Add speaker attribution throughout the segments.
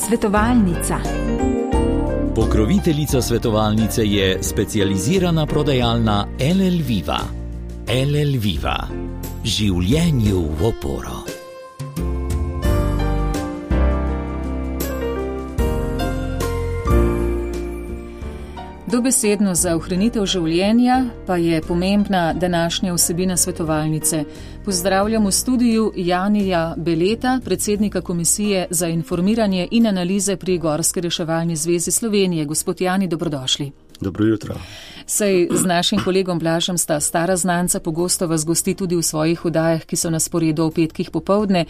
Speaker 1: Svetovalnica.
Speaker 2: Pokroviteljica svetovalnice je specializirana prodajalna LL Viva. LL Viva. Življenju v oporo.
Speaker 3: Dobesedno za ohranitev življenja pa je pomembna današnja vsebina svetovalnice. Pozdravljam v studiu Janija Beleta, predsednika Komisije za informiranje in analize pri Gorski reševalni zvezi Slovenije. Gospod Jani, dobrodošli.
Speaker 4: Dobro jutro.
Speaker 3: Saj z našim kolegom Blažem sta stara znanca, pogosto vas gosti tudi v svojih oddajah, ki so na sporedu ob petkih popoldne.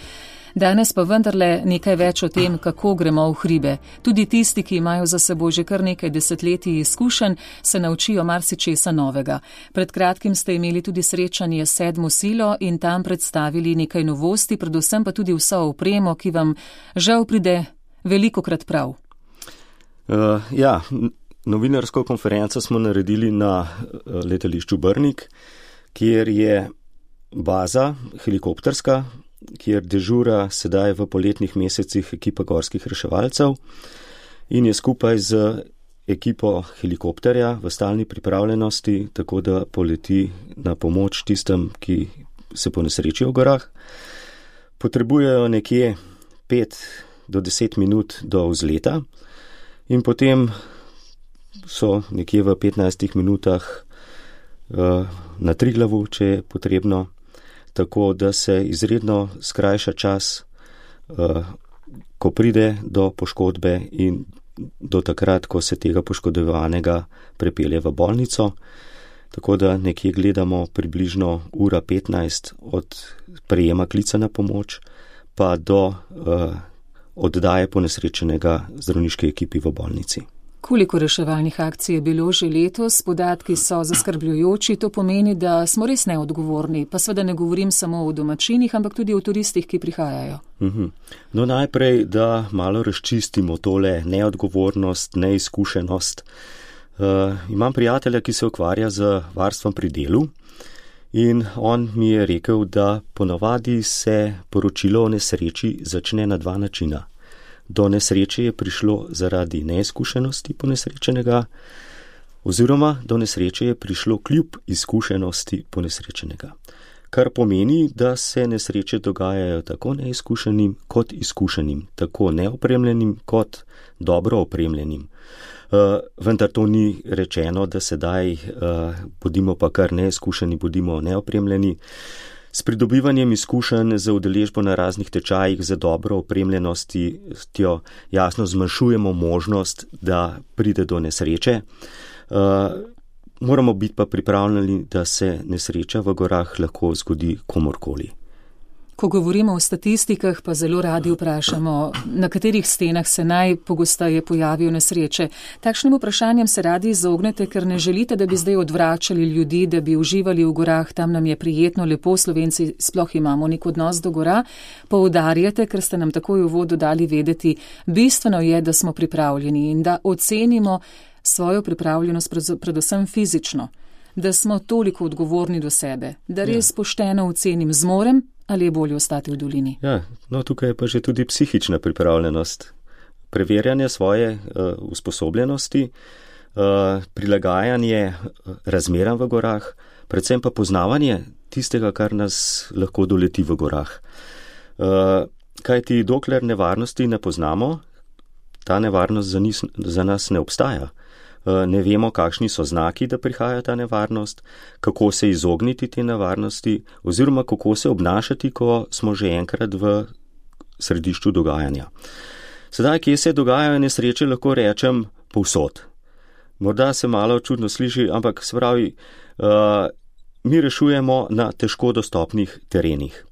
Speaker 3: Danes pa vendarle nekaj več o tem, kako gremo v hribe. Tudi tisti, ki imajo za seboj že kar nekaj desetletij izkušenj, se naučijo marsičesa novega. Pred kratkim ste imeli tudi srečanje s 7. silo in tam predstavili nekaj novosti, predvsem pa tudi vso opremo, ki vam žal pride velikokrat prav.
Speaker 4: Novinarsko konferenco smo naredili na letališču Brnik, kjer je baza helikopterska, kjer dežura sedaj v poletnih mesecih ekipa gorskih reševalcev in je skupaj z ekipo helikopterja v stalni pripravljenosti, tako da poleti na pomoč tistem, ki se ponesrečijo v gorah. Potrebujejo nekje 5 do 10 minut do vzleta in potem so nekje v 15 minutah na Triglavu, če je potrebno, tako da se izredno skrajša čas, ko pride do poškodbe in do takrat, ko se tega poškodovanega prepelje v bolnico. Tako da nekje gledamo približno 1:15 od prejema klica na pomoč pa do oddaje ponesrečenega zdravniške ekipi v bolnici.
Speaker 3: Koliko reševalnih akcij je bilo že letos? Podatki so zaskrbljujoči, to pomeni, da smo res neodgovorni, pa seveda ne govorim samo o domačinih, ampak tudi o turistih, ki prihajajo.
Speaker 4: No, najprej, da malo razčistimo tole neodgovornost, neizkušenost. Imam prijatelja, ki se ukvarja z varstvom pri delu in on mi je rekel, da ponavadi se poročilo o nesreči začne na 2 načina. Do nesreče je prišlo zaradi neizkušenosti ponesrečenega, oziroma do nesreče je prišlo kljub izkušenosti ponesrečenega. Kar pomeni, da se nesreče dogajajo tako neizkušenim kot izkušenim, tako neopremljenim kot dobro opremljenim. Vendar to ni rečeno, da sedaj bodimo pa kar neizkušeni, bodimo neopremljeni. S pridobivanjem izkušenj za udeležbo na raznih tečajih za dobro opremljenostjo jasno zmanjšujemo možnost, da pride do nesreče. Moramo biti pa pripravljeni, da se nesreča v gorah lahko zgodi komorkoli.
Speaker 3: Ko govorimo o statistikah, pa zelo radi vprašamo, na katerih stenah se najpogosteje pojavijo nesreče. Takšnim vprašanjem se radi izognete, ker ne želite, da bi zdaj odvračali ljudi, da bi uživali v gorah, tam nam je prijetno, lepo, Slovenci sploh imamo nek odnos do gora. Poudarjate, ker ste nam takoj v uvodu dali vedeti, bistveno je, da smo pripravljeni in da ocenimo svojo pripravljenost predvsem fizično, da smo toliko odgovorni do sebe, da res pošteno ocenim, zmorem ali je bolje ostati v dolini.
Speaker 4: Tukaj je pa že tudi psihična pripravljenost, preverjanje svoje usposobljenosti, prilagajanje razmeram v gorah, predvsem pa poznavanje tistega, kar nas lahko doleti v gorah. Kajti dokler nevarnosti ne poznamo, ta nevarnost za nas ne obstaja. Ne vemo, kakšni so znaki, da prihaja ta nevarnost, kako se izogniti te nevarnosti oziroma kako se obnašati, ko smo že enkrat v središču dogajanja. Sedaj, kje se dogajajo nesreče, lahko rečem povsod. Morda se malo čudno sliši, ampak se pravi, mi rešujemo na težko dostopnih terenih.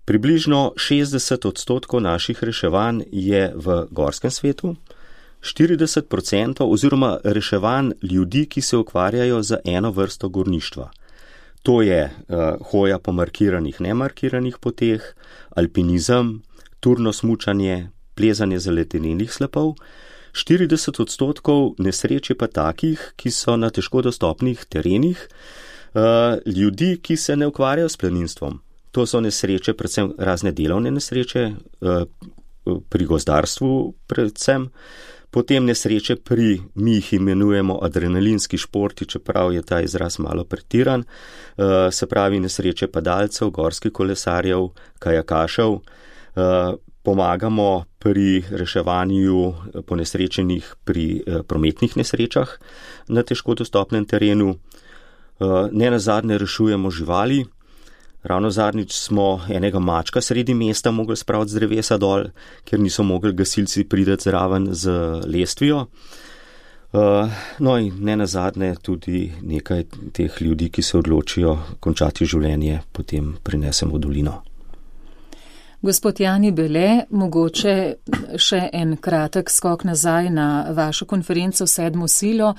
Speaker 4: Približno 60% naših reševanj je v gorskem svetu, 40% oziroma reševanj ljudi, ki se ukvarjajo z eno vrsto gorništva. To je hoja po markiranih, nemarkiranih poteh, alpinizem, turno smučanje, plezanje z ledenih slepov. 40% nesreč je pa takih, ki so na težko dostopnih terenih, ljudi, ki se ne ukvarjajo s planinstvom. To so nesreče, predvsem razne delovne nesreče, pri gozdarstvu predvsem. Potem nesreče mi jih imenujemo adrenalinski športi, čeprav je ta izraz malo pretiran, se pravi nesreče padalcev, gorskih kolesarjev, kajakašev. Pomagamo pri reševanju ponesrečenih pri prometnih nesrečah na težko dostopnem terenu. Ne nazadnje rešujemo živali. Ravno zadnjič smo enega mačka sredi mesta mogli spraviti z drevesa dol, ker niso mogli gasilci priti zraven z lestvijo. No in ne nazadnje tudi nekaj teh ljudi, ki se odločijo končati življenje, potem prinesemo v dolino.
Speaker 3: Gospod Jani Bele, mogoče še en kratek skok nazaj na vašo konferenco Sedmo silo.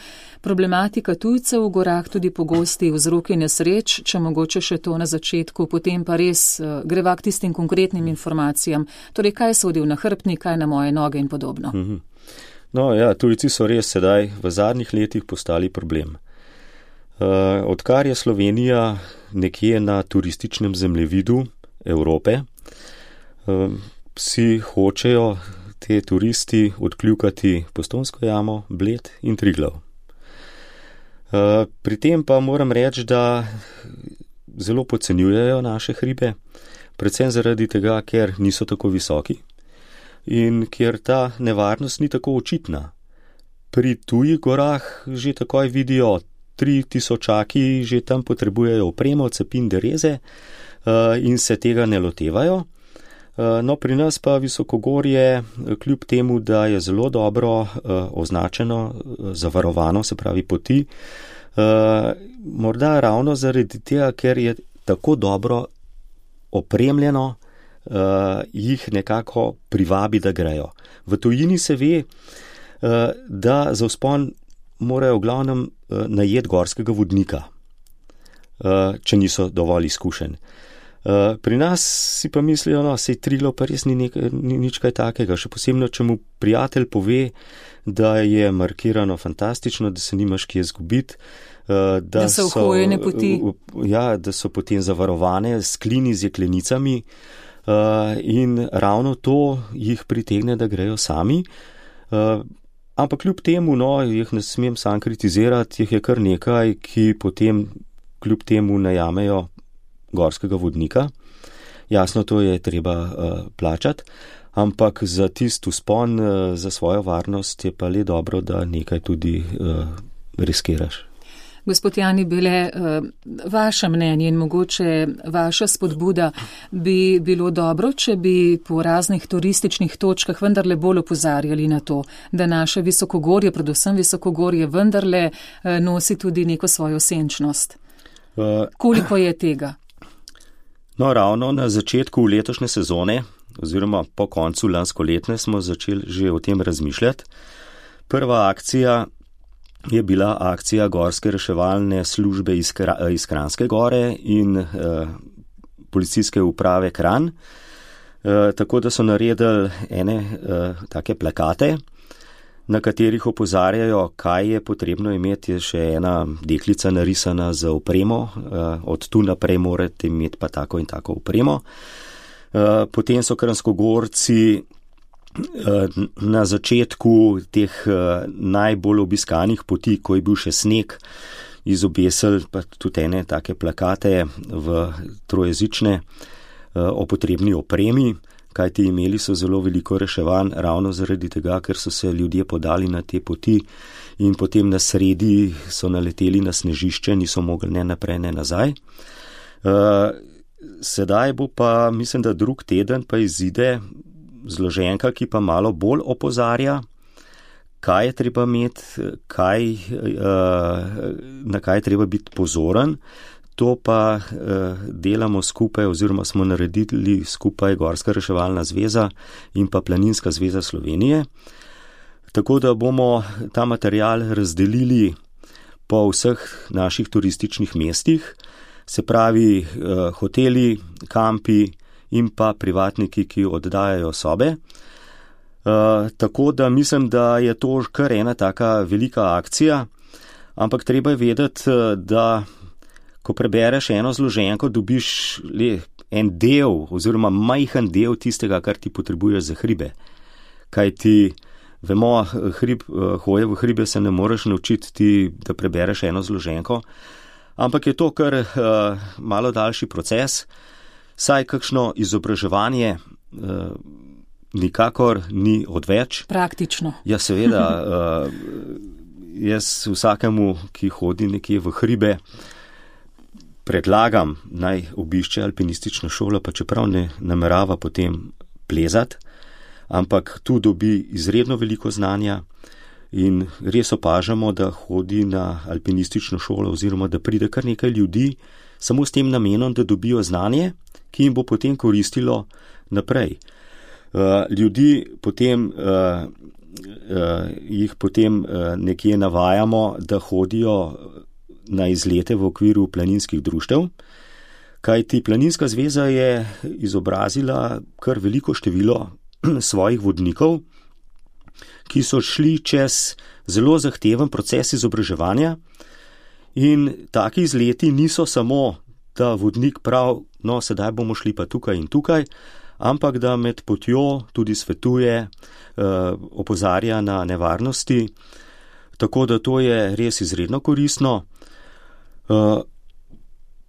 Speaker 3: Problematika tujcev v gorah, tudi pogosti vzroki nesreč, če mogoče še to na začetku, potem pa res greva k tistim konkretnim informacijam. Torej, kaj sodi v nahrbtnik, kaj na moje noge in podobno.
Speaker 4: No ja, tujci so res sedaj v zadnjih letih postali problem. Odkar je Slovenija nekje na turističnem zemljevidu Evrope, vsi hočejo te turisti odkljukati Postojnsko jamo, Bled in Triglav. Pri tem pa moram reči, da zelo podcenjujejo naše hribe, predvsem zaradi tega, ker niso tako visoki in ker ta nevarnost ni tako očitna. Pri tujih gorah že takoj vidijo 3000-aki, že tam potrebujejo opremo, cepin, dereze in se tega ne lotevajo. No, pri nas pa visokogorje, kljub temu, da je zelo dobro označeno, zavarovano, se pravi poti, morda ravno zaradi tega, ker je tako dobro opremljeno, jih nekako privabi, da grejo. V tujini se ve, da za vzpon morajo v glavnem najeti gorskega vodnika, če niso dovolj izkušeni. Pri nas si pa mislijo, no, sej Triglav pa res ni nič kaj takega, še posebno, če mu prijatelj pove, da je markirano fantastično, da se nimaš kje izgubiti, da
Speaker 3: so ohojene poti.
Speaker 4: Ja, da so potem zavarovane s klini z jeklenicami in ravno to jih pritegne, da grejo sami. Ampak kljub temu, no, jih ne smem sam kritizirati, jih je kar nekaj, ki potem kljub temu najamejo gorskega vodnika. Jasno, to je treba plačati, ampak za tisti vzpon, za svojo varnost je pa le dobro, da nekaj tudi riskiraš.
Speaker 3: Gospod Jani Bele, vaše mnenje in mogoče vaša spodbuda bi bilo dobro, če bi po raznih turističnih točkah vendarle bolj opozarjali na to, da naše visokogorje, predvsem visokogorje, vendarle nosi tudi neko svojo senčnost. Koliko je tega?
Speaker 4: No, ravno na začetku letošnje sezone, oziroma po koncu lanskoletne, smo začeli že o tem razmišljati. Prva akcija je bila akcija Gorske reševalne službe iz Kranjske gore in policijske uprave Kranj, tako da so naredili ene take plakate, na katerih opozarjajo, kaj je potrebno imeti. Je še ena deklica narisana za opremo, od tu naprej morate imeti pa tako in tako opremo. Potem so kranjskogorci na začetku teh najbolj obiskanih poti, ko je bil še sneg, izobesili pa tudi ene take plakate v trojezične o potrebni opremi, kajti imeli so zelo veliko reševanj ravno zaradi tega, ker so se ljudje podali na te poti in potem na sredi so naleteli na snežišče, niso mogli ne naprej, ne nazaj. Sedaj bo pa, mislim, da drug teden pa izide zloženka, ki pa malo bolj opozarja, kaj je treba imeti, na kaj je treba biti pozoren. To pa delamo skupaj oziroma smo naredili skupaj Gorska reševalna zveza in pa Planinska zveza Slovenije. Tako da bomo ta material razdelili po vseh naših turističnih mestih, se pravi hoteli, kampi in pa privatniki, ki oddajajo sobe. Tako da mislim, da je to kar ena taka velika akcija, ampak treba je vedeti, da ko prebereš eno zloženko, dobiš en del oziroma majhen del tistega, kar ti potrebuješ za hribe. Kaj ti, vemo, hoje v hribe se ne moreš naučiti ti, da prebereš eno zloženko, ampak je to kar malo daljši proces, saj kakšno izobraževanje nikakor ni odveč.
Speaker 3: Praktično.
Speaker 4: Ja, seveda, jaz vsakemu, ki hodi nekje v hribe, predlagam, naj obišče alpinistično šolo, pa čeprav ne namerava potem plezati, ampak tu dobi izredno veliko znanja in res opažamo, da hodi na alpinistično šolo oziroma da pride kar nekaj ljudi samo s tem namenom, da dobijo znanje, ki jim bo potem koristilo naprej. Ljudi potem, jih potem nekje navajamo, da hodijo na izlete v okviru planinskih društev, kajti Planinska zveza je izobrazila kar veliko število svojih vodnikov, ki so šli čez zelo zahteven proces izobraževanja in taki izleti niso samo, da vodnik prav, no sedaj bomo šli pa tukaj in tukaj, ampak da med potjo tudi svetuje, opozarja na nevarnosti, tako da to je res izredno koristno.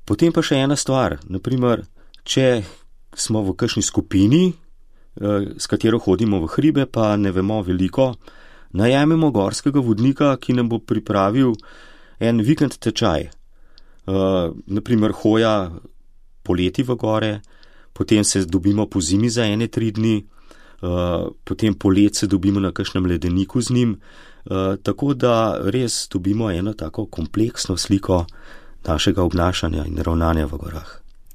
Speaker 4: Potem pa še ena stvar, naprimer, če smo v kakšni skupini, s katero hodimo v hribe, pa ne vemo veliko, najamemo gorskega vodnika, ki nam bo pripravil en vikend tečaj. Naprimer, hoja poleti v gore, potem se dobimo po zimi za 1-3 dni, potem polet se dobimo na kakšnem ledeniku z njim, tako da res dobimo eno tako kompleksno sliko našega obnašanja in ravnanja v gorah.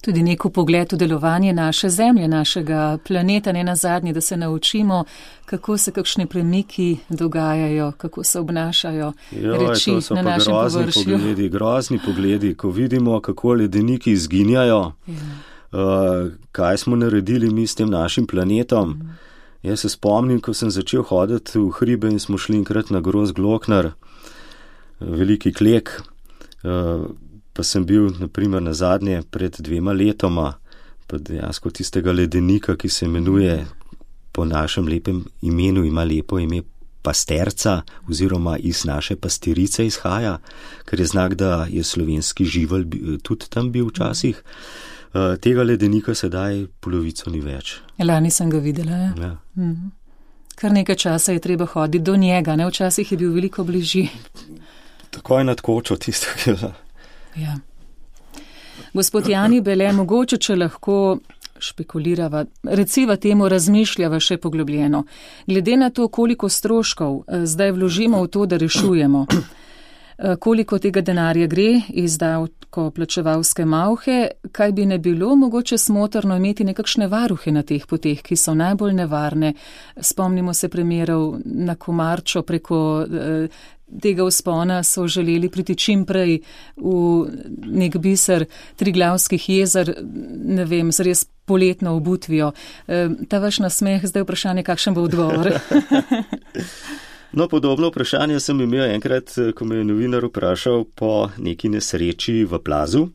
Speaker 3: Tudi neko pogled v delovanje naše zemlje, našega planeta, ne nazadnje, da se naučimo, kako se kakšni premiki dogajajo, kako se obnašajo reči na našem površju.
Speaker 4: Grozni pogledi, ko vidimo, kako ledeniki izginjajo, kaj smo naredili mi s tem našim planetom. Jaz se spomnim, ko sem začel hoditi v hribe in smo šli enkrat na Gros Gloknar, veliki klek, pa sem bil, naprimer, nazadnje pred 2 letoma, pa dejansko tistega ledenika, ki se imenuje po našem lepem imenu, ima lepo ime Pasterca, oziroma iz naše pastirice izhaja, ker je znak, da je slovenski živelj tudi tam bil včasih. Tega ledenika sedaj polovico ni več.
Speaker 3: Lani sem ga videla, ja.
Speaker 4: Ja.
Speaker 3: Kar nekaj časa je treba hoditi do njega, ne? Včasih je bil veliko bližji.
Speaker 4: Takoj nad kočo tistega.
Speaker 3: Ja. Gospod Jani Bele, mogoče, če lahko špekulirava, reciva temu, razmišljava še poglobljeno. Glede na to, koliko stroškov zdaj vložimo v to, da rešujemo, koliko tega denarja gre iz davkoplačevalske malhe, kaj bi ne bilo mogoče smotrno imeti nekakšne varuhe na teh poteh, ki so najbolj nevarne. Spomnimo se primerov na Komarčo, preko tega vzpona so želeli priti čim prej v nek biser Triglavskih jezer, ne vem, z res poletno obutvijo. Ta vaš nasmeh, zdaj vprašanje, kakšen bo odgovor?
Speaker 4: No, podobno vprašanje sem imel enkrat, ko me je novinar vprašal po neki nesreči v plazu.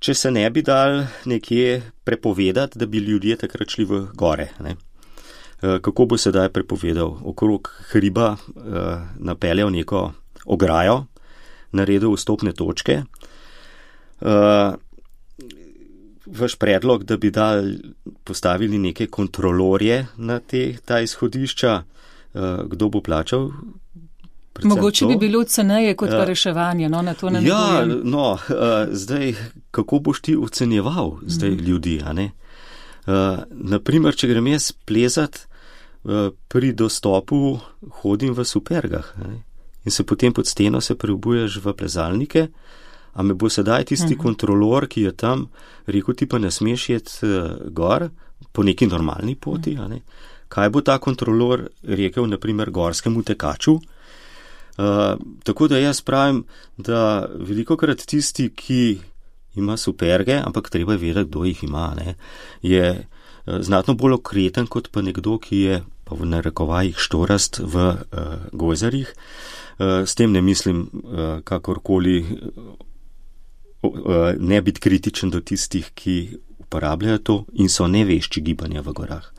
Speaker 4: Če se ne bi dal nekje prepovedati, da bi ljudje takrat šli v gore, ne? Kako bo sedaj prepovedal? Okrog hriba napeljal neko ograjo, naredil vstopne točke. Vaš predlog, da bi postavili neke kontrolorje na ta izhodišča, kdo bo plačal?
Speaker 3: Mogoče bi bilo ceneje kot pa reševanje, no, na to ne namigujem.
Speaker 4: Ja, zdaj, kako boš ti ocenjeval zdaj ljudi, a ne? Naprimer, če grem jaz plezat, pri dostopu hodim v supergah, ne? In se potem pod steno se preobuješ v plezalnike, a me bo sedaj tisti kontrolor, ki je tam, rekel, ti pa ne smeš jeti gor po neki normalni poti, a ne? Kaj bo ta kontrolor rekel, naprimer, gorskemu tekaču? Tako da jaz pravim, da velikokrat tisti, ki ima superge, ampak treba je vedeti, kdo jih ima, ne, je znatno bolj okreten kot pa nekdo, ki je pa v narekovajih štorast v gojzarjih. S tem ne mislim kakorkoli ne biti kritičen do tistih, ki uporabljajo to in so nevešči gibanja v gorah.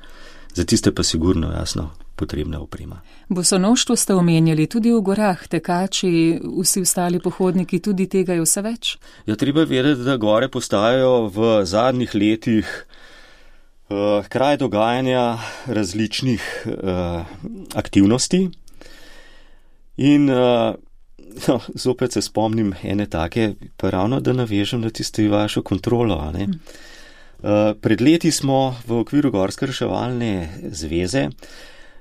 Speaker 4: Za tiste pa sigurno, jasno, potrebna oprema.
Speaker 3: Bosonoštvo ste omenjali tudi v gorah, tekači, vsi ostali pohodniki, tudi tega je vse več?
Speaker 4: Ja, treba vedeti, da gore postajajo v zadnjih letih kraj dogajanja različnih aktivnosti in zopet se spomnim ene take, pa ravno da navežem na tisto vašo kontrolo, ne? Pred leti smo v okviru Gorske reševalne zveze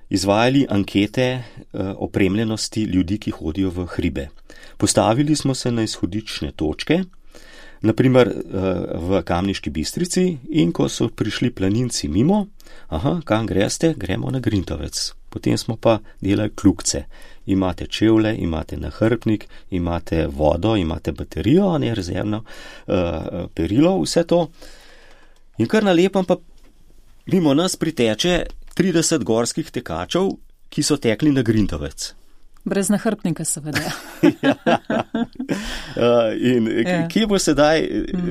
Speaker 4: izvajali ankete opremljenosti ljudi, ki hodijo v hribe. Postavili smo se na izhodične točke, naprimer v Kamniški Bistrici, in ko so prišli planinci mimo, kam greste, gremo na Grintovec. Potem smo pa delali klukce. Imate čevlje, imate nahrbtnik, imate vodo, imate baterijo, ne rezervno perilo, vse to. In kar na lepem pa mimo nas priteče 30 gorskih tekačev, ki so tekli na Grintovec.
Speaker 3: Brez nahrbtnika seveda.
Speaker 4: Kje bo sedaj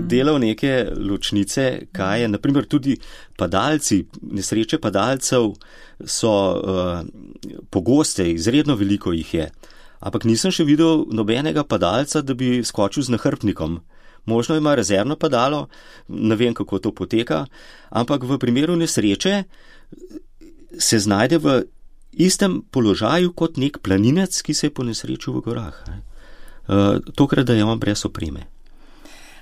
Speaker 4: delal neke ločnice, kaj je, naprimer tudi padalci, nesreče padalcev so pogoste, izredno veliko jih je. Ampak nisem še videl nobenega padalca, da bi skočil z nahrbtnikom. Možno ima rezervno padalo, ne vem, kako to poteka, ampak v primeru nesreče se znajde v istem položaju kot nek planinec, ki se je ponesrečil v gorah. Tokrat dajemo brez opreme.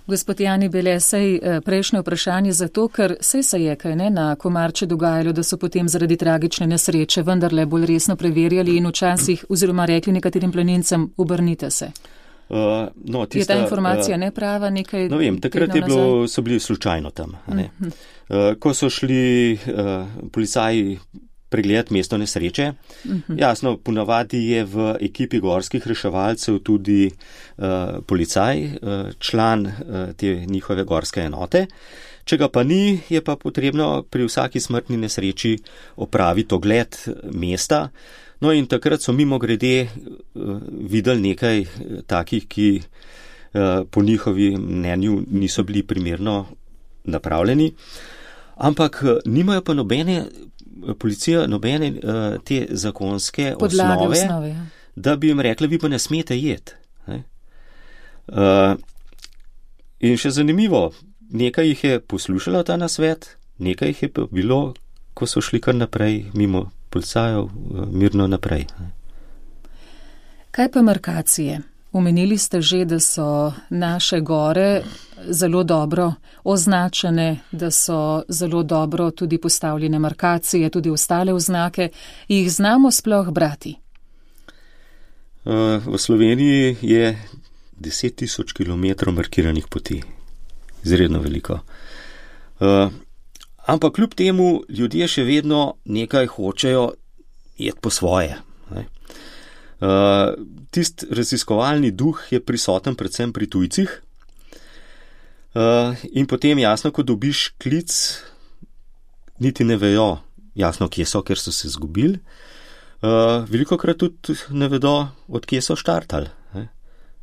Speaker 3: Gospod Jani Bele, sej prejšnje vprašanje zato, ker sej se je kaj na Komarče dogajalo, da so potem zaradi tragične nesreče vendarle bolj resno preverjali in včasih oziroma rekli nekaterim planincem, obrnite se. Je ta informacija neprava, nekaj?
Speaker 4: No vem, takrat so bili slučajno tam. Ko so šli policaji pregledati mesto nesreče, jasno, ponavadi je v ekipi gorskih reševalcev tudi policaj, član te njihove gorske enote. Če ga pa ni, je pa potrebno pri vsaki smrtni nesreči opraviti ogled mesta. No in takrat so mimogrede videli nekaj takih, ki po njihovi mnenju niso bili primerno napravljeni, ampak nimajo pa policija nobene te zakonske osnove, ja. Da bi jim rekla, vi pa ne smete jeti. In še zanimivo, nekaj jih je poslušalo ta nasvet, nekaj jih je pa bilo, ko so šli kar naprej mimo policajev, mirno naprej.
Speaker 3: Kaj pa markacije? Omenili ste že, da so naše gore zelo dobro označene, da so zelo dobro tudi postavljene markacije, tudi ostale oznake. Jih znamo sploh brati?
Speaker 4: V Sloveniji je 10.000 kilometrov markiranih poti. Izredno veliko. Ampak kljub temu ljudje še vedno nekaj hočejo iti po svoje. Tist raziskovalni duh je prisoten predvsem pri tujcih. In potem jasno, ko dobiš klic, niti ne vejo jasno, kje so, ker so se zgubili. Velikokrat tudi ne vedo, od kje so štartali.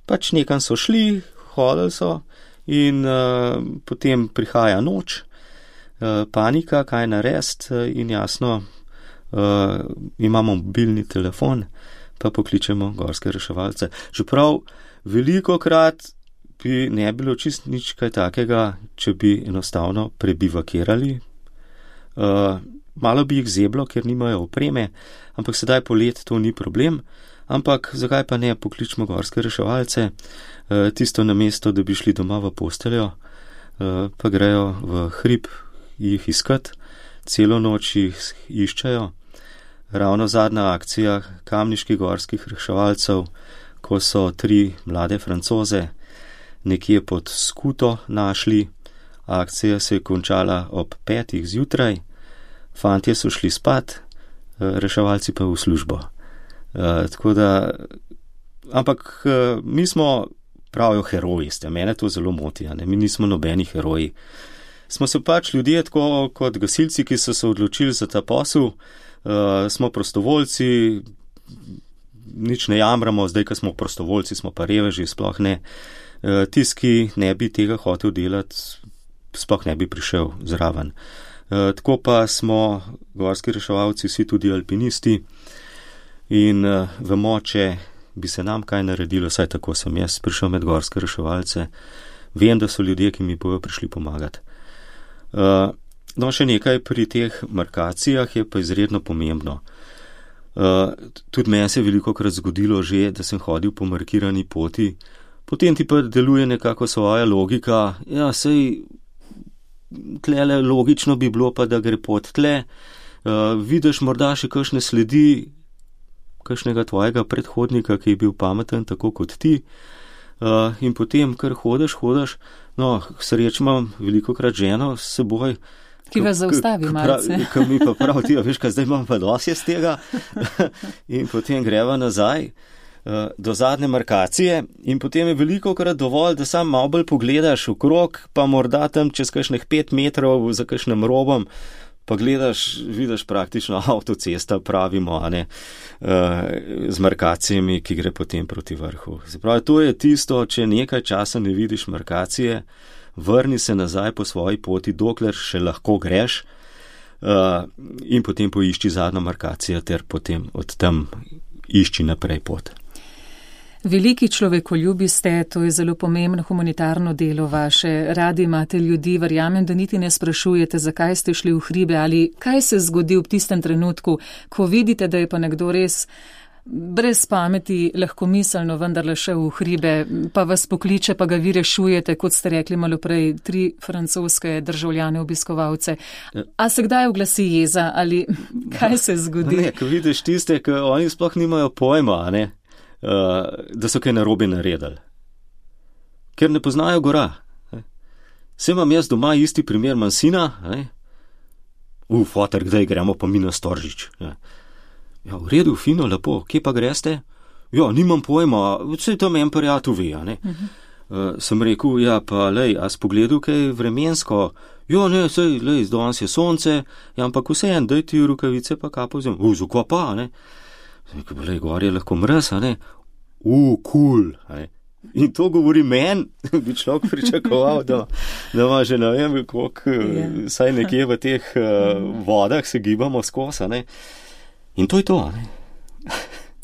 Speaker 4: Pač nekam so šli, hodili so in potem prihaja noč, panika, kaj narediti in jasno, imamo mobilni telefon, pa pokličemo gorske reševalce. Čeprav velikokrat bi ne bilo čist nič kaj takega, če bi enostavno prebivakirali. Malo bi jih zeblo, ker nimajo opreme, ampak sedaj polet to ni problem. Ampak zakaj pa ne pokličemo gorske reševalce, tisto namesto, da bi šli doma v posteljo, pa grejo v hrib jih iskat, celo noč jih iščejo. Ravno zadnja akcija kamniških gorskih reševalcev, ko so 3 mlade Francoze nekje pod skuto našli, akcija se je končala ob 5. zjutraj, fantje so šli spat, reševalci pa v službo. Tako da, ampak mi smo, pravijo, heroji ste, mene to zelo moti, mi nismo nobeni heroji. Smo se pač ljudje, tako kot gasilci, ki so se odločili za ta posel, smo prostovoljci, nič ne jamramo, zdaj, ko smo prostovoljci, smo pa reveži, sploh ne. Tisti, ki ne bi tega hotel delati, sploh ne bi prišel zraven. Tako pa smo gorski reševalci vsi tudi alpinisti in vemo, če bi se nam kaj naredilo, saj tako sem jaz prišel med gorske reševalce, vem, da so ljudje, ki mi bojo prišli pomagati. No, še nekaj pri teh markacijah je pa izredno pomembno. Tudi meni se je velikokrat zgodilo že, da sem hodil po markirani poti, potem ti pa deluje nekako svoja logika, ja, sej tlele logično bi bilo pa, da gre pot tle, vidiš morda še kakšne sledi kakšnega tvojega predhodnika, ki je bil pameten tako kot ti, in potem kar hodiš, no, sreč imam velikokrat ženo s seboj,
Speaker 3: ki vas zaustavi malce.
Speaker 4: Ki mi pa pravi, veš, kaj zdaj imam pa dosti z tega in potem greva nazaj do zadnje markacije in potem je velikokrat dovolj, da sam malo bolj pogledaš okrog, pa morda tam čez kakšnih 5 metrov za kakšnim robom, pa gledaš, vidiš praktično avtocesta, pravimo, a ne, z markacijami, ki gre potem proti vrhu. Se pravi, to je tisto, če nekaj časa ne vidiš markacije, vrni se nazaj po svoji poti, dokler še lahko greš, in potem poišči zadnjo markacijo ter potem od tam išči naprej pot.
Speaker 3: Veliki človekoljubi ste, to je zelo pomembno humanitarno delo vaše. Radi imate ljudi, verjamem, da niti ne sprašujete, zakaj ste šli v hribe ali kaj se zgodi v tistem trenutku, ko vidite, da je pa nekdo res brez pameti, lahkomiselno vendarle šel v hribe, pa vas pokliče, pa ga vi rešujete, kot ste rekli malo prej, 3 francoske državljane obiskovalce. A se kdaj oglasi jeza ali kaj se zgodi?
Speaker 4: Ne, ko vidiš tiste, ki oni sploh nimajo pojma, a ne, da so kaj narobe naredili. Ker ne poznajo gora. Se imam jaz doma isti primer, imam sina, foter, kdaj gremo pa mi na Storžič. Ja, v redu, fino, lepo, kje pa greste? Ja, nimam pojma, vse tam en prijatelj ve, a ne. Sem rekel, ja, pa lej, a si pogledal kaj vremensko? Ja, ne, sej, lej, danes je sonce, ja, ampak vseeno, daj ti rukavice pa kapo vzem. Zakaj pa, a ne? Rekel, lej, gor je lahko mraz, a ne. Cool, a ne. In to govori meni, bi človek pričakoval, da ima že ne vem, koliko, saj nekje v teh vodah se gibamo skozi, a ne. In to je to, ne?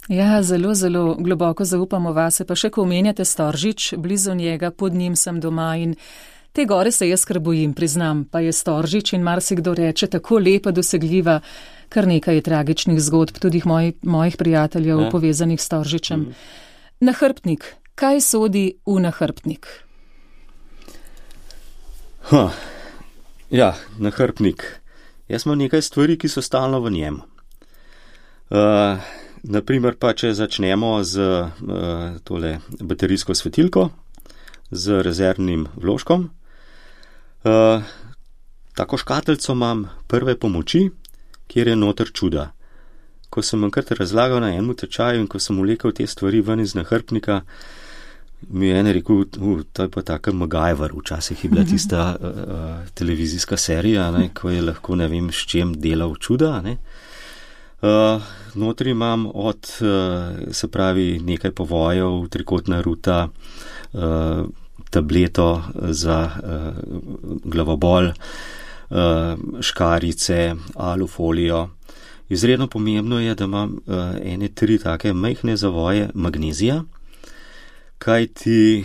Speaker 3: Ja, zelo, zelo globoko zaupamo vase, pa še ko omenjate Storžič, blizu njega, pod njim sem doma in te gore se jaz kar bojim, priznam, pa je Storžič in marsikdo reče tako lepa, dosegljiva, kar nekaj je tragičnih zgodb, tudi mojih prijateljev povezanih s Storžičem. Nahrbtnik, kaj sodi v nahrbtnik?
Speaker 4: Ja, nahrbtnik. Jaz imam nekaj stvari, ki so stalno v njem. Naprimer pa, če začnemo z tole baterijsko svetilko, z rezervnim vložkom. Tako škatlico imam prve pomoči, kjer je noter čuda. Ko sem enkrat razlagal na enem tečaju in ko sem vlekel te stvari ven iz nahrbtnika, mi je en rekel, to je pa taka MacGyver, včasih je bila tista televizijska serija, ne, ko je lahko ne vem s čem delal čuda, ne. Notri imam se pravi nekaj povojev, trikotna ruta, tableto za glavobol, škarice, alufolijo. Izredno pomembno je, da imam ene 3 take majhne zavoje magnezija, kajti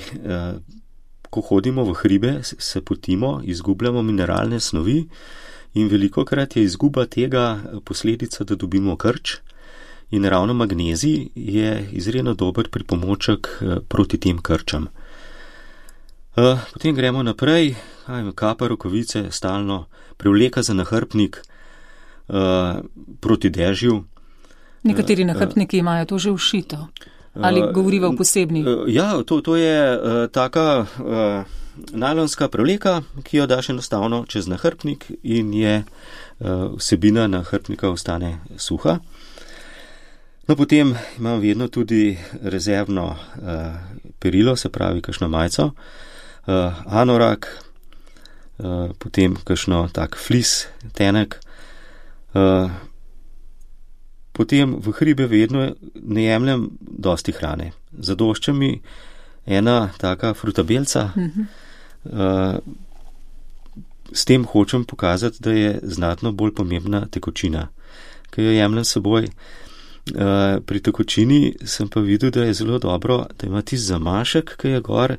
Speaker 4: ko hodimo v hribe, se potimo, izgubljamo mineralne snovi in velikokrat je izguba tega posledica, da dobimo krč in ravno magnezij je izredno dober pripomoček proti tem krčam. Potem gremo naprej, kapa, rokavice, stalno, prevleka za nahrbtnik proti dežju.
Speaker 3: Nekateri nahrbtniki imajo to že všito. Ali govoriva o posebni?
Speaker 4: Ja, to je taka najlonska prevleka, ki jo daš enostavno čez nahrbtnik in je vsebina nahrbtnika ostane suha. No, potem imam vedno tudi rezervno perilo, se pravi kakšno majico, anorak, potem kakšno tak flis, tenek. Potem v hribe vedno ne jemljem dosti hrane. Zadošča mi ena taka frutabelca, s tem hočem pokazati, da je znatno bolj pomembna tekočina, ki jo jemljem s seboj. Pri tekočini sem pa videl, da je zelo dobro, da ima tisti zamašek, ki je gor,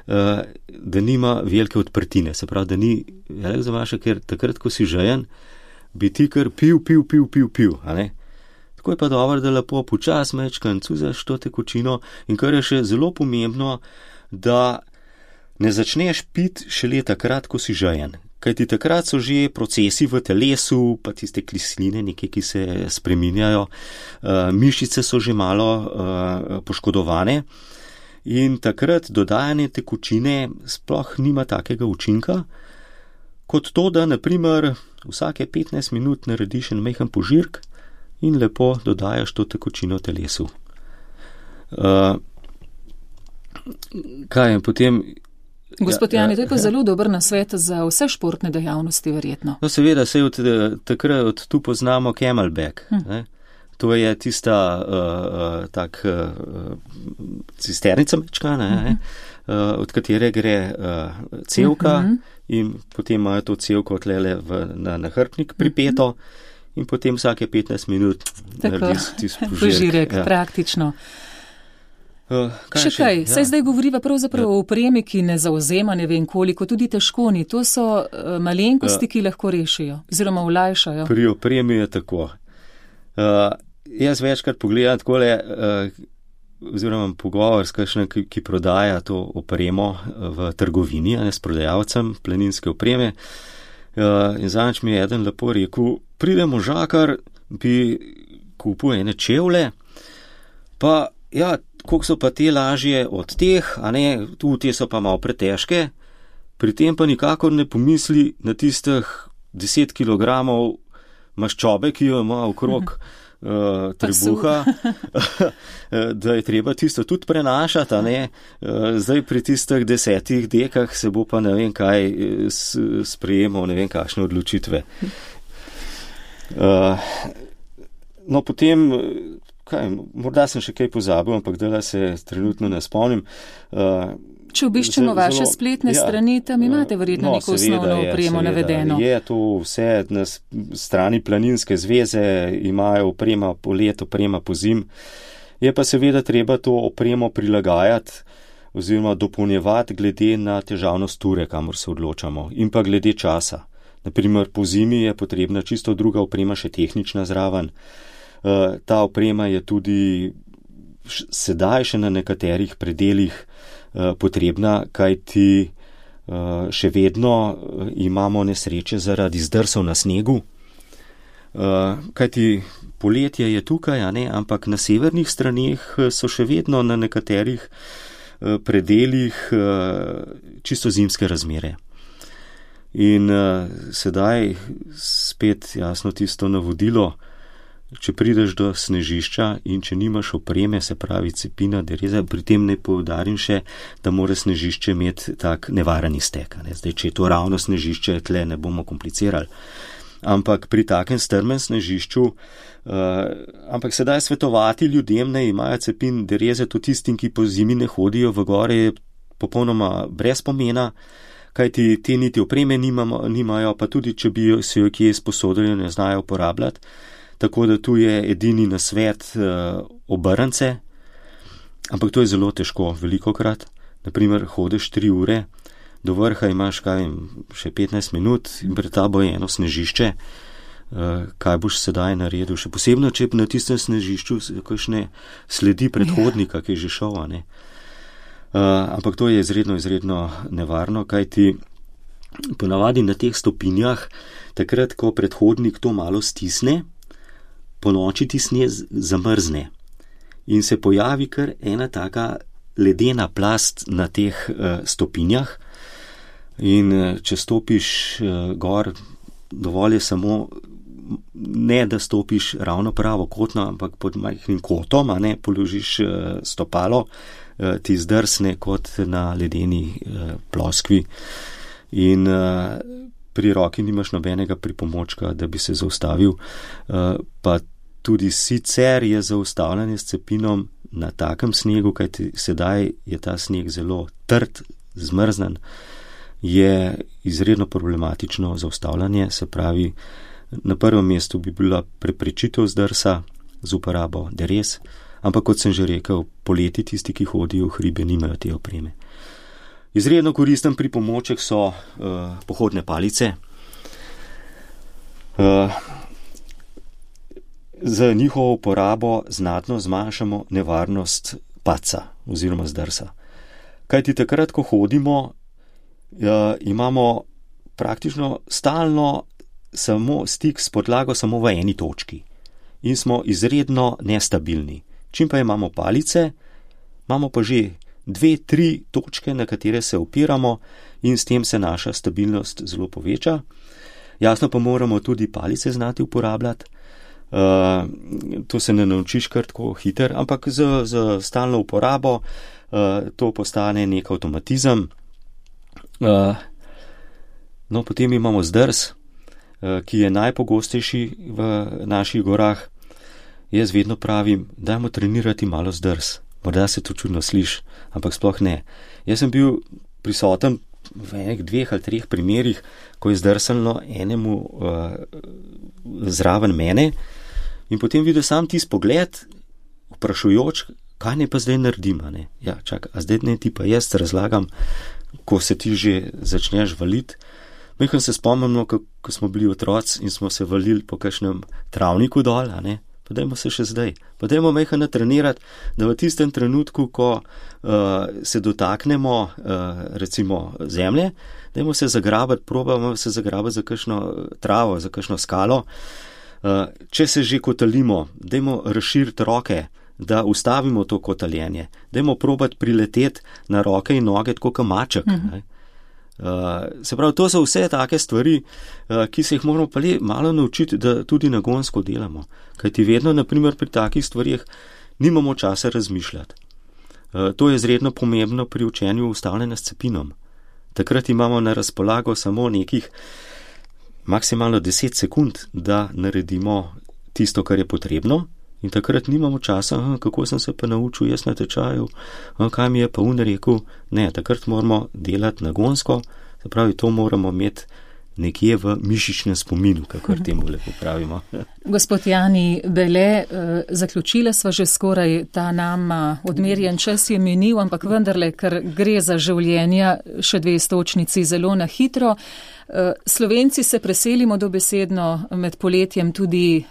Speaker 4: da nima velike odprtine. Se pravi, da ni velik zamašek, ker takrat, ko si žejen, bi ti kar pil, a ne? Tako je pa dobro, da lepo počas mečkan cuzaš to tekočino in kar je še zelo pomembno, da ne začneš piti šele takrat, ko si žejen. Kajti takrat so že procesi v telesu, pa tiste kisline, nekaj, ki se spreminjajo, mišice so že malo poškodovane in takrat dodajanje tekočine sploh nima takega učinka, kot to, da naprimer vsake 15 minut narediš en majhen požirk in lepo dodajaš to tekočino telesu. Kaj je potem...
Speaker 3: Gospod Jani, to je pa zelo dober nasvet za vse športne dejavnosti, verjetno.
Speaker 4: No, seveda, se takrat tu poznamo camelback. To je tista cisternica mečkana, od katere gre cevka in potem imajo to cevko tlele na nahrbtnik pripeto in potem vsake 15 minut narediš tisti
Speaker 3: požirek. Praktično. Še kaj, saj zdaj govoriva pravzaprav o opremi, ki ne zauzema ne vem koliko, tudi težkoni, to so malenkosti, ki lahko rešijo, oziroma olajšajo.
Speaker 4: Pri opremi je tako. Jaz večkrat pogledam takole, oziroma pogovor s kakšnim, ki prodaja to opremo v trgovini, a ne s prodajalcem planinske opreme. In zadnjič mi je eden lepo rekel, pride možakar, bi kupil ene čevlje, pa ja, koliko so pa te lažje od teh, a ne, tu te so pa malo pretežke, pri tem pa nikakor ne pomisli na tistih 10 kilogramov maščobe, ki jo ima okrog trebuha, da je treba tisto tudi prenašati, a ne, zdaj pri tistih 10 dekah se bo pa ne vem kaj sprejemal, ne vem kakšne odločitve. No, potem... morda sem še kaj pozabil, ampak dela se trenutno ne spomnim.
Speaker 3: Če obiščemo vaše spletne strani, tam imate verjetno neko osnovno opremo navedeno.
Speaker 4: Je to vse na strani Planinske zveze, imajo oprema po let, oprema po zim. Je pa seveda treba to opremo prilagajati oziroma dopolnjevati glede na težavnost ture, kamor se odločamo, in pa glede časa. Naprimer, po zimi je potrebna čisto druga oprema, še tehnična zraven. Ta oprema je tudi sedaj še na nekaterih predelih potrebna, kajti še vedno imamo nesreče zaradi zdrsov na snegu, kajti poletje je tukaj, a ne, ampak na severnih straneh so še vedno na nekaterih predelih čisto zimske razmere. In sedaj spet jasno tisto navodilo, če prideš do snežišča in če nimaš opreme, se pravi cepina, dereza, pri tem ne poudarim še, da mora snežišče imeti tak nevaren iztek. Zdaj, če je to ravno snežišče, tle ne bomo komplicirali. Ampak pri takem strmem snežišču, ampak sedaj svetovati ljudem, ne imajo cepin, dereze, to tistim, ki po zimi ne hodijo v gore, je popolnoma brez pomena, kajti te niti opreme nimajo, pa tudi, če bi se jo kje sposodili, ne znajo uporabljati. Tako da tu je edini nasvet obrnce, ampak to je zelo težko, velikokrat. Naprimer, hodiš 3 ure, do vrha imaš, še 15 minut in pred tabo je eno snežišče. Kaj boš sedaj naredil? Še posebno, če na tistem snežišču kakšne sledi predhodnika, ki je že šel, a ne. Ampak to je izredno nevarno, kajti ponavadi na teh stopinjah, takrat, ko predhodnik to malo stisne, po noči ti sneg zamrzne in se pojavi kar ena taka ledena plast na teh stopinjah in če stopiš gor, dovolj je samo ne, da stopiš ravno pravokotno, ampak pod majhnim kotom, a ne, položiš stopalo, ti zdrsne kot na ledeni ploskvi in pri roki nimaš nobenega pripomočka, da bi se zaustavil, pa tudi sicer je zaustavljanje s cepinom na takem snegu, kajti sedaj je ta sneg zelo trd, zmrznen je izredno problematično zaustavljanje, se pravi, na prvem mestu bi bila preprečitev zdrsa z uporabo deres, ampak kot sem že rekel, poleti tisti, ki hodijo v hribe, nimajo te opreme. Izredno koristen pripomoček so pohodne palice. Z njihovo uporabo znatno zmanjšamo nevarnost padca oziroma zdrsa. Kajti takrat, ko hodimo, imamo praktično stalno samo stik s podlago samo v eni točki in smo izredno nestabilni. Čim pa imamo palice, imamo pa že 2-3 točke, na katere se opiramo in s tem se naša stabilnost zelo poveča. Jasno pa moramo tudi palice znati uporabljati. To se ne naučiš kar tako hiter, ampak z stalno uporabo to postane nek avtomatizem. No, potem imamo zdrs, ki je najpogostejši v naših gorah. Jaz vedno pravim, dajmo trenirati malo zdrs. Morda se to čudno sliši, ampak sploh ne. Jaz sem bil prisoten v enih 2 ali 3 primerih, ko je zdrsalno enemu zraven mene in potem videl sam tisti pogled, vprašujoč, kaj ne pa zdaj naredim, ne? Ja, čak, a zdaj ne ti pa jaz razlagam, ko se ti že začneš valiti. Mehko se spomnimo, ko smo bili otroci in smo se valili po kakšnem travniku dol, ne? Pa dajmo se še zdaj. Pa dajmo mehko natrenirati, da v tistem trenutku, ko se dotaknemo recimo zemlje, dajmo se zagrabati, probamo se zagrabati za kakšno travo, za kakšno skalo. Če se že kotalimo, dajmo razširiti roke, da ustavimo to kotaljenje. Dajmo probati prileteti na roke in noge tako kot maček. Se pravi, to so vse take stvari, ki se jih moramo pa malo naučiti, da tudi nagonsko delamo. Kajti vedno, naprimer, pri takih stvarih nimamo časa razmišljati. To je izredno pomembno pri učenju ustavljanja s cepinom. Takrat imamo na razpolago samo nekih maksimalno 10 sekund, da naredimo tisto, kar je potrebno. In takrat nimamo časa, kako sem se pa naučil jaz na tečaju, kaj mi je pa rekel. Ne, takrat moramo delati nagonsko, se pravi, to moramo imeti nekje v mišičnem spominu, kakor temu lepo pravimo.
Speaker 3: Gospod Jani Bele, zaključila sva že skoraj, ta nam odmerjen čas je minil, ampak vendarle, ker gre za življenja, še 2 stočnici zelo na hitro. Slovenci se preselimo dobesedno med poletjem tudi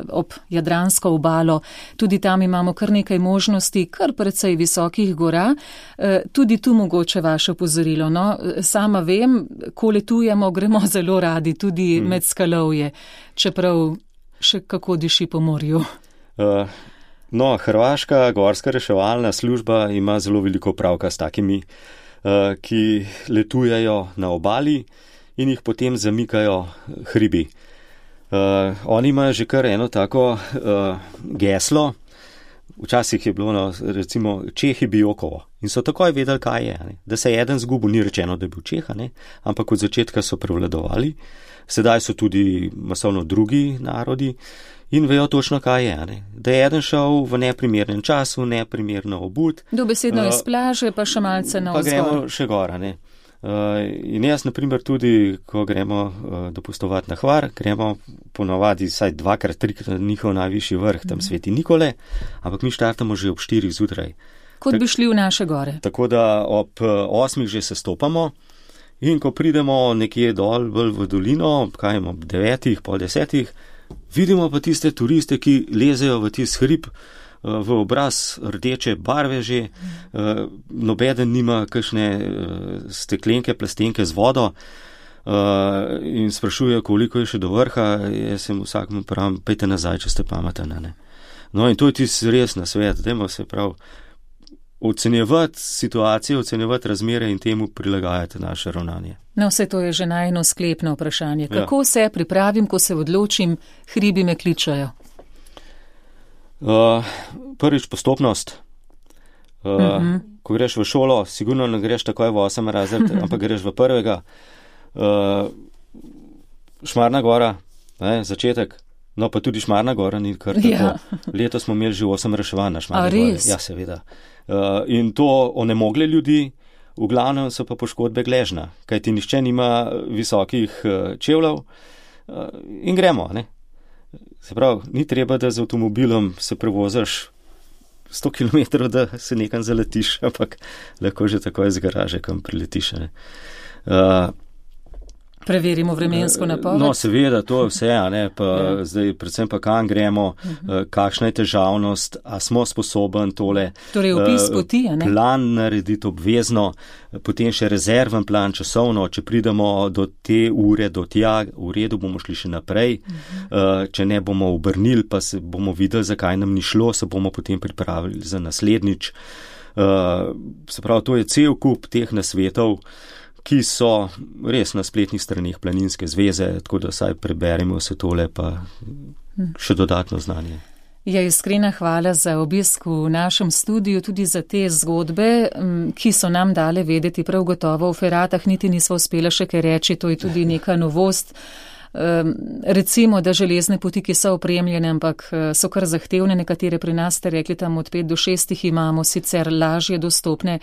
Speaker 3: ob Jadransko obalo, tudi tam imamo kar nekaj možnosti, kar precej visokih gora, tudi tu mogoče vaše opozorilo. No, sama vem, ko letujemo, gremo zelo radi tudi med skalovje, čeprav še kako diši po morju.
Speaker 4: No, Hrvaška gorska reševalna služba ima zelo veliko pravka s takimi, ki letujejo na obali in jih potem zamikajo hribi. Oni imajo že kar eno tako geslo, včasih je bilo, recimo, Čehi Bijokovo in so takoj vedeli, kaj je. Ne? Da se je eden zgubil, ni rečeno, da je bil Čeha, ne? Ampak od začetka so prevladovali, sedaj so tudi masovno drugi narodi in vejo točno, kaj je. Ne? Da je eden šel v neprimernem času, neprimerno obut.
Speaker 3: Dobesedno iz plaže, pa še malce na vzgor.
Speaker 4: Pa gremo še gora, ne. In jaz, naprimer, tudi, ko gremo dopustovati na Hvar, gremo ponovadi vsaj 2-3 na njihov najvišji vrh, tam Sveti Nikole, ampak mi štartamo že ob 4 zjutraj.
Speaker 3: Kot bi šli v naše gore.
Speaker 4: Tako da ob 8 že se stopamo in ko pridemo nekje dol v dolino, kaj ob 9, pol 10, vidimo pa tiste turiste, ki lezejo v tisti hrib, v obraz rdeče barve že, nobeden nima kakšne steklenke, plastenke z vodo in sprašuje, koliko je še do vrha. Jaz sem vsakmu pravim, pejte nazaj, če ste pameten. No in to je tisti res na svet, dajmo se prav ocenjevati situacijo, ocenjevati razmere in temu prilagajati naše ravnanje.
Speaker 3: No, vse to je že najno sklepno vprašanje. Kako se pripravim, ko se odločim, hribi me kličajo?
Speaker 4: Prvič postopnost. Ko greš v šolo, sigurno ne greš takoj v 8 razred, ampak greš v 1. Šmarna gora, začetek. No, pa tudi Šmarna gora ni kar tako. Ja. Letos smo imeli že 8 reševanj na Šmarni gori. Ja, seveda. In to onemogle ljudi, v glavnem so pa poškodbe gležna, kajti nihče nima visokih čevljev in gremo, ne. Se pravi, ni treba, da z avtomobilom se prevozaš 100 km, da se nekam zaletiš, ampak lahko že takoj iz garaže, kam priletiš, ne.
Speaker 3: Preverimo vremensko napoved.
Speaker 4: No, seveda, to je vse, ne, pa zdaj predvsem pa kam gremo, kakšna je težavnost, a smo sposoben tole.
Speaker 3: Torej, opis poti, ne?
Speaker 4: Plan narediti obvezno, potem še rezerven plan časovno, če pridemo do te ure, do tja, v redu bomo šli še naprej, če ne bomo obrnili, pa se bomo videli, zakaj nam ni šlo, se bomo potem pripravili za naslednjič. Se pravi, to je cel kup teh nasvetov, ki so res na spletnih straneh Planinske zveze, tako da saj preberemo vse tole pa še dodatno znanje.
Speaker 3: Ja, iskrena hvala za obisk v našem studiu, tudi za te zgodbe, ki so nam dale vedeti prav gotovo. V Feratah niti nismo uspela še kaj reči, to je tudi neka novost. Recimo, da železne poti, ki so opremljene, ampak so kar zahtevne, nekatere pri nas ste rekli tam od 5 do 6 imamo, sicer lažje dostopne,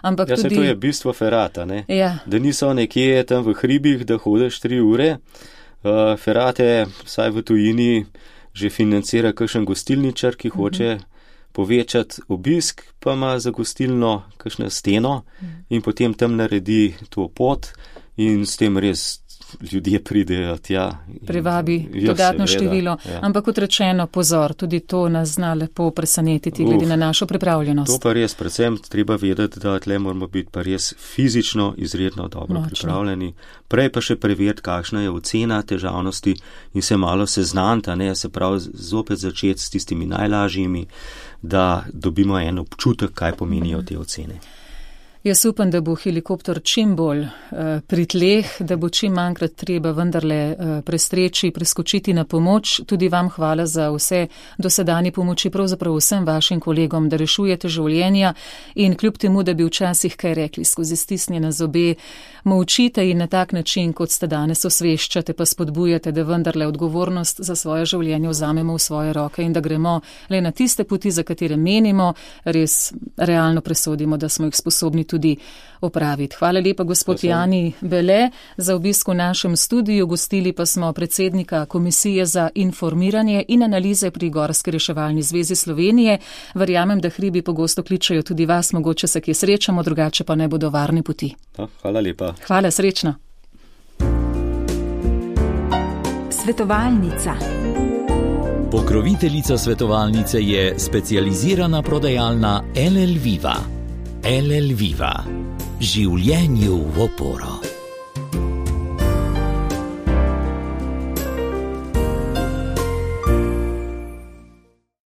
Speaker 3: ampak tudi...
Speaker 4: Ja, to je bistvo Ferata, ne?
Speaker 3: Ja.
Speaker 4: Da niso nekje tam v hribih, da hodeš 3 ure. Ferate, vsaj v tujini, že financira kakšen gostilničar, ki hoče povečati obisk, pa ima za gostilno kakšno steno in potem tam naredi to pot in s tem res ljudje pridejo tja.
Speaker 3: Privabi dodatno število. Ja. Ampak kot rečeno, pozor, tudi to nas zna lepo presenetiti glede na našo pripravljenost.
Speaker 4: To pa res, predvsem treba vedeti, da tle moramo biti pa res fizično izredno dobro pripravljeni. Prej pa še preveriti, kakšna je ocena težavnosti in se malo seznanta, ne, se pravi zopet začeti s tistimi najlažjimi, da dobimo en občutek, kaj pomenijo te ocene.
Speaker 3: Jaz upam, da bo helikopter čim bolj pri tleh, da bo čim manjkrat treba vendarle prestreči, preskočiti na pomoč. Tudi vam hvala za vse dosedanje pomoči, pravzaprav vsem vašim kolegom, da rešujete življenja in kljub temu, da bi včasih kaj rekli skozi stisnjene zobe, molčite in na tak način, kot ste danes osveščate, pa spodbujate, da vendarle odgovornost za svoje življenje vzamemo v svoje roke in da gremo le na tiste poti, za katere menimo, res realno presodimo, da smo jih sposobni tudi opraviti. Hvala lepa, gospod Jani Bele, za obisk v našem studiu. Gostili pa smo predsednika Komisije za informiranje in analize pri Gorski reševalni zvezi Slovenije. Verjamem, da hribi pogosto kličajo tudi vas, mogoče se kje srečamo, drugače pa ne bodo varne poti.
Speaker 4: Hvala lepa.
Speaker 3: Hvala, srečno.
Speaker 1: Svetovalnica.
Speaker 2: Pokroviteljica svetovalnice je specializirana prodajalna LL Viva. LL Viva. Življenju v oporo.